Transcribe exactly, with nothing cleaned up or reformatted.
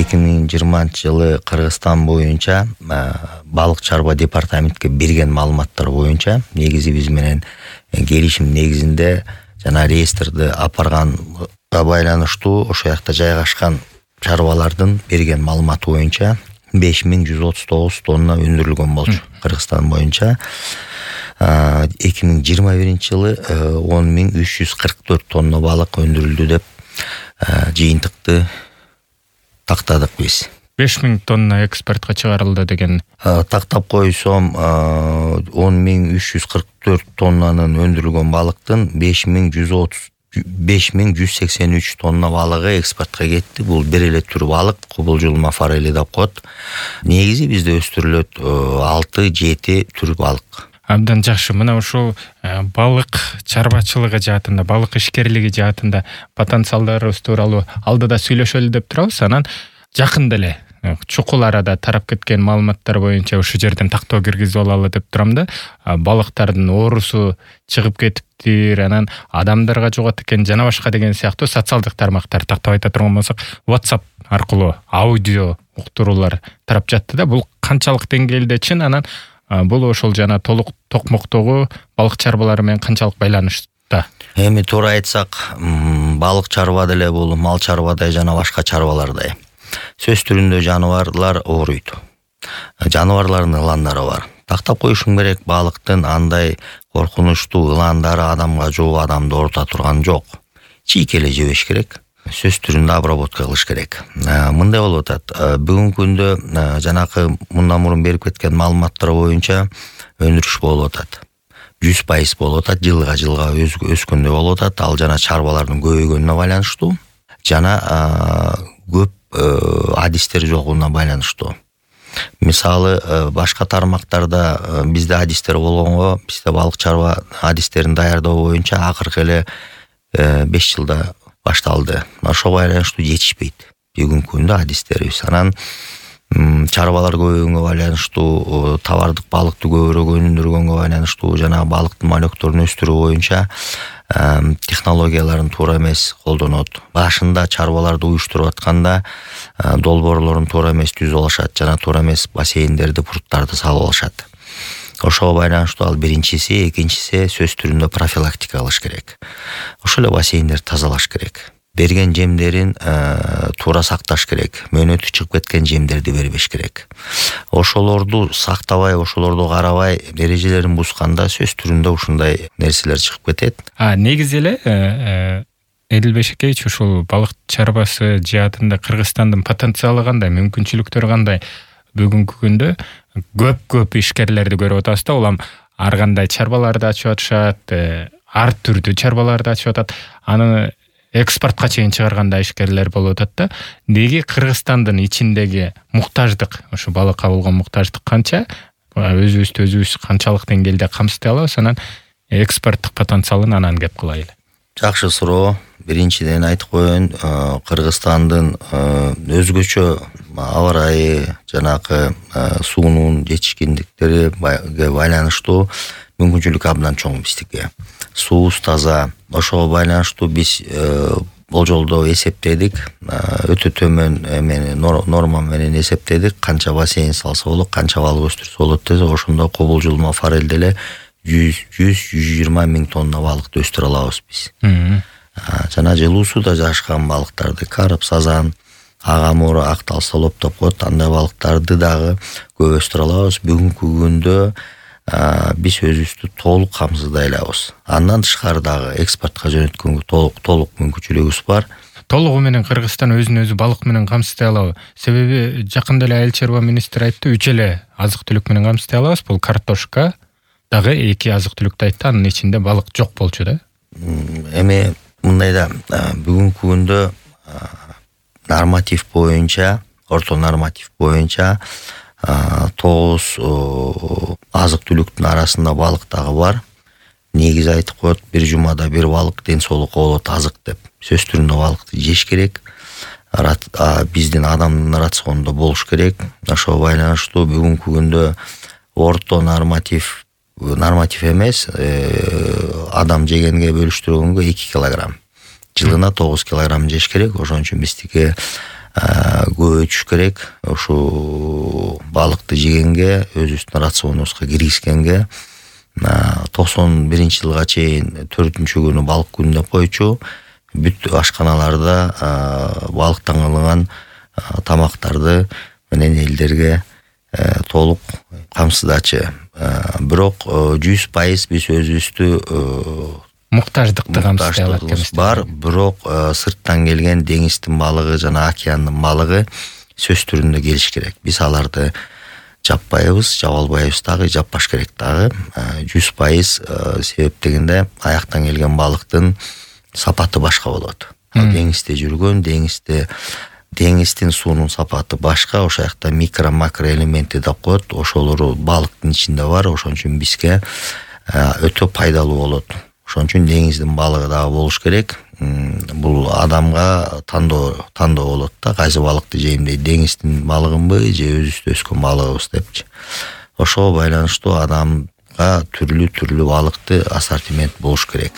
эки миң жыйырманчы жылы Кыргызстан боюнча балык чарба департаментке берген маалыматтар боюнча негизи биз менен келишим негизинде жана реестрди апарганга байланыштуу ошол жакта жайгашкан чарбалардын берген маалыматы боюнча беш миң жүз отуз тогуз тонна өндүрүлгөн болчу. Кыргызстан боюнча эки миң жыйырма биринчи жылы он миң үч жүз кырк төрт тонна балык өндүрүлдү деп жыйынтыкты тактадык биз. беш миң тонна экспортко чыгарылды деген. Тактап койсом он миң үч жүз кырк төрт тоннанын өндүрүлгөн балыктын беш миң жүз отуз беш миң жүз сексен үч тонна балыгы экспортко кетти. Бул бир эле түр балык, кубулжулма форели деп коет. Негизи бизде өстүрүлөт алты жети түр балык. Абдан жакшы. Мына ушул балык чарбачылыгы жаатында, балык ишкерлиги жаатында потенциалдарыбыз тууралуу алдыда сүйлөшөлү деп турабыз. Анан жакында эле чукул арада тарап кеткен маалыматтар боюнча ушул жерден тактоо киргизип алалы деп турам да. Балыктардын оорусу чыгып кетиптир, анан адамдарга жугат экен жана башка деген сыяктуу социалдык тармактар тактап айта турган болсок, WhatsApp аркылуу аудио уктуруулар тарап жатты да. Бул канчалык деңгээлде чын, анан бул ошол жана толук токмоктогу балык чарбалары менен канчалык байланышта? Эми туура айтсак, балык чарба деле бул мал чарбадай жана башка чарбалардай. Сөз түрүндө жаныбарлар ооруйт. Жаныбарлардын ыландары бар. Тактап коюшуң керек, балыктын андай коркунучтуу ыландары адамга жоо, адамды оорута турган жок. Чийки эле жебеш керек. Сөз түрүндө обработка кылыш керек. Мындай болуп атат. Бүгүнкү күндө жанакы мындан мурун берип кеткен маалыматтар боюнча өндүрүш болуп атат. жүз пайыз болуп атат, жылга жылга өскөндөй болуп атат. Ал жана чарбалардын көбөйгөнүнө байланыштуу, жана көп адистер жогуна байланыштуу. Мисалы, башка тармактарда бизде адистер болгонго, бизде балык чарба адистерин даярдоо боюнча акыркы эле беш жылда башталды. Ошого байланыштуу жетишпейт бүгүнкү күндө адистерибиз. Анан чарбалар көбөйгөнгө байланыштуу, товардык балыкты көбүрөөк өндүргөнгө байланыштуу жана балыктын малөктөрүн өстүрүү боюнча технологияларын туура эмес колдонот. Башында чарбаларды уюштуруп атканда долбоорлорун туура эмес түзүп алышат жана туура эмес бассейндерди, пруттарды салып алышат. Ошого байланыштуу ал биринчиси, экинчиси сөз түрүндө профилактика кылыш керек. Ошол эле бассейндерди тазалаш керек. Берген жемдерин туура сакташ керек. Мөөнөтү чыгып кеткен жемдерди бербеш керек. Ошолорду сактабай, ошолорду карабай, эрежелерин бузганда сөз түрүндө ушундай нерселер чыгып кетет. А негизи эле Эдил Бешекеевич, ушул балык чарбасы жаатында Кыргызстандын потенциалы кандай, мүмкүнчүлүктөрү кандай? Бүгүнкү күндө көп-көп ишкерлерди көрүп атабыз да, улам ар кандай чарбаларды ачып атышат, ар түрдүү чарбаларды ачып атат. Аны экспортко чейин чыгарганда ишкерлер болуп атат да. Неге Кыргызстандын ичиндеги муктаждык, ошо балыкка болгон муктаждык канча? Өзүбүздү өзүбүз канчалык деңгээлде камсыздай алабыз? Анан экспорттук потенциалын анан кеп кылайлы. Жакшы суроо. Биринчиден айтып коеюн, Кыргызстандын өзгөчө аба ырайы, жанакы суунун жетишкендиктериге байланыштуу мүмкүнчүлүк абдан чоң биздики. Суубуз таза. Ошого байланыштуу биз болжолдо эсептедик, өтө төмөн эмени норма менен эсептедик, канча бассейн салса болот, канча балык өстүрсө болот десе, ошондо кубулжулма форель деле жүз жүз жыйырма миң тонна балыкты өстүрө алабыз биз. Жана жылуу сууда жашаган балыктарды, карп, сазан, агамур, актал, солоп деп коет, андай балыктарды дагы көп өстүрө алабыз. Бүгүнкү күндө биз өзүбүздү толук камсыздай алабыз. Андан тышкары дагы экспортко жөнөткөнгө толук толук мүмкүнчүлүгүбүз бар. Толугу менен Кыргызстан өзүн өзү балык менен камсыздай алабы? Себеби жакында эле Айыл чарба министри айтты, үч эле азык-түлүк менен камсыздай алабыз. Бул картошка, дагы эки азык-түлүктү айтты, анын ичинде балык жок болчу да. Эми мындай да, бүгүнкү күндө норматив боюнча, орто норматив боюнча тогуз азык-түлүктүн арасында балык дагы бар. Негизи айтып коет, бир жумада бир балык ден соолукка болот азык деп. Сөз түрүндө балыкты жеш керек. Биздин адамдын рационунда болуш керек. Ошого байланыштуу бүгүнкү күндө орто норматив норматив эмес, адам жегенге бөлүштүргөнгө эки килограмм. Жылына тогуз килограмм жеш керек. Ошон үчүн биздики көбөйтүш керек. Ушул балыкты жегенге, өзүбүздүн рационубузга киргизгенге токсон биринчи жылга чейин төртүнчү күнү балык күнү деп койчу. Бүт ашканаларда балыктан кылынган тамактарды менен элдерге толук камсыздачы. Бирок жүз пайыз биз өзүбүздү муктаждыкты камсыздай алат эмес бар. Бирок сырттан келген деңиздин балыгы жана океандын балыгы сөз түрүндө келиш керек. Биз аларды жаппайбыз, жаба албайбыз дагы, жаппаш керек дагы. жүз пайыз себеп дегенде аяктан келген балыктын сапаты башка болот. Деңизде жүргөн, деңизде деңиздин суунун сапаты башка. Ошол жакта микро макро элементи деп коет. Ошолору балыктын ичинде бар. Ошон үчүн бизге өтө пайдалуу болот. Ошон үчүн деңиздин балыгы дагы болуш керек. Бул адамга тандоо тандоо болот да, кайсы балыкты жейм дейт, деңиздин балыгынбы же өзүбүздө өскөн балыгыбыз депчи. Ошого байланыштуу адамга түрлүү-түрлүү балыкты ассортимент болуш керек.